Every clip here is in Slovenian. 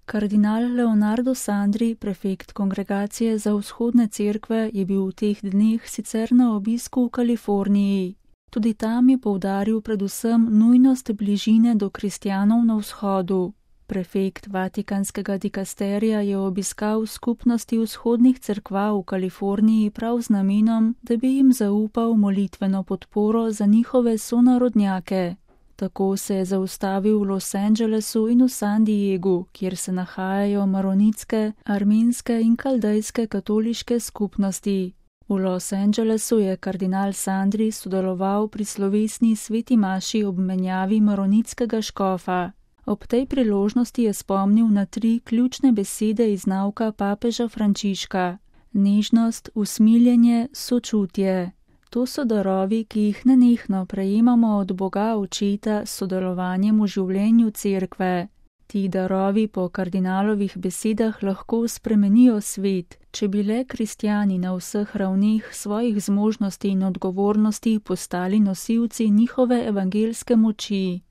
Kardinal Leonardo Sandri, prefekt Kongregacije za vzhodne cerkve, je bil v teh dneh sicer na obisku v Kaliforniji. Tudi tam je poudaril predvsem nujnost bližine do kristjanov na vzhodu. Prefekt Vatikanskega dikasterija je obiskal skupnosti vzhodnih cerkva v Kaliforniji prav z namenom, da bi jim zaupal molitveno podporo za njihove sonarodnjake. Tako se je zaustavil v Los Angelesu in v San Diegu, kjer se nahajajo maronitske, armenske in kaldejske katoliške skupnosti. V Los Angelesu je kardinal Sandri sodeloval pri slovesni sveti maši ob menjavi maronitskega škofa. Ob tej priložnosti je spomnil na 3 ključne besede iz nauka papeža Frančiška: nežnost, usmiljenje, sočutje. To so darovi, ki jih nenehno prejemamo od Boga Očeta s sodelovanjem v življenju cerkve. Ti darovi po kardinalovih besedah lahko spremenijo svet, če bi le kristjani na vseh ravneh svojih zmožnosti in odgovornosti postali nosilci njihove evangelske moči.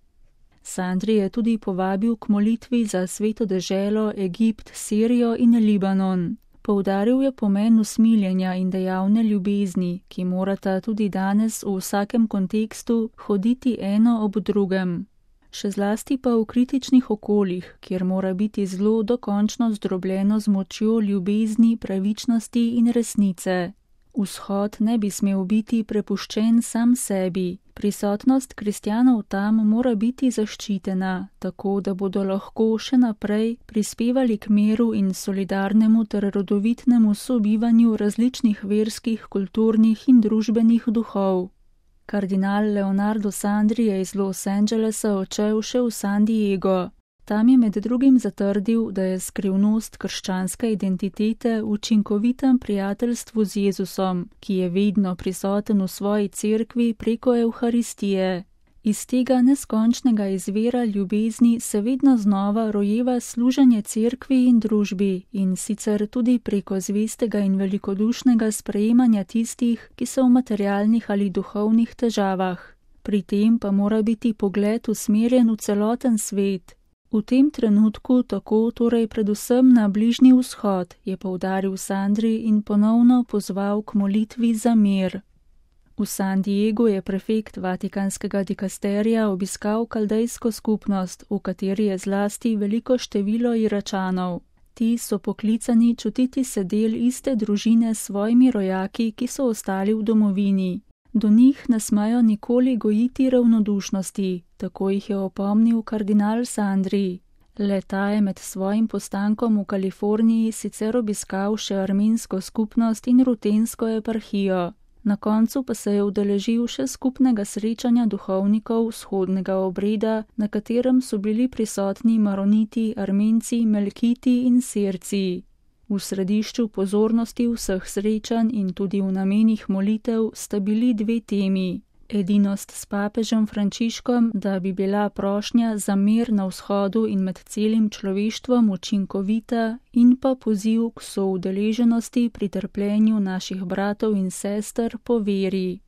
Sandri je tudi povabil k molitvi za sveto deželo Egipt, Sirijo in Libanon. Poudaril je pomen usmiljenja in dejavne ljubezni, ki morata tudi danes v vsakem kontekstu hoditi eno ob drugem. Še zlasti pa v kritičnih okoljih, kjer mora biti zlo dokončno zdrobljeno z močjo ljubezni, pravičnosti in resnice. Vzhod ne bi smel biti prepuščen sam sebi. Prisotnost kristjanov tam mora biti zaščitena, tako da bodo lahko še naprej prispevali k miru in solidarnemu ter rodovitnemu sobivanju različnih verskih, kulturnih in družbenih duhov. Kardinal Leonardo Sandri je iz Los Angelesa odšel še v San Diego. Tam je med drugim zatrdil, da je skrivnost krščanske identitete v učinkovitem prijateljstvu z Jezusom, ki je vedno prisoten v svoji cerkvi preko Evharistije. Iz tega neskončnega izvira ljubezni se vedno znova rojeva služenje cerkvi in družbi, in sicer tudi preko zvestega in velikodušnega sprejemanja tistih, ki so v materialnih ali duhovnih težavah. Pri tem pa mora biti pogled usmerjen v celoten svet. V tem trenutku tako torej predvsem na Bližnji vzhod, je poudaril Sandri in ponovno pozval k molitvi za mir. V San Diegu je prefekt Vatikanskega dikasterija obiskal kaldejsko skupnost, v kateri je zlasti veliko število Iračanov. Ti so poklicani čutiti se del iste družine s svojimi rojaki, ki so ostali v domovini. Do njih ne smejo nikoli gojiti ravnodušnosti, tako jih je opomnil kardinal Sandri. Le-ta je med svojim postankom v Kaliforniji sicer obiskal še armensko skupnost in rutensko eparhijo. Na koncu pa se je udeležil še skupnega srečanja duhovnikov vzhodnega obreda, na katerem so bili prisotni maroniti, armenci, melkiti in sirci. V središču pozornosti vseh srečanj in tudi v namenih molitev sta bili 2 temi. Edinost s papežem Frančiškom, da bi bila prošnja za mir na vzhodu in med celim človeštvom učinkovita, in pa poziv k soudeleženosti pri trpljenju naših bratov in sester po veri.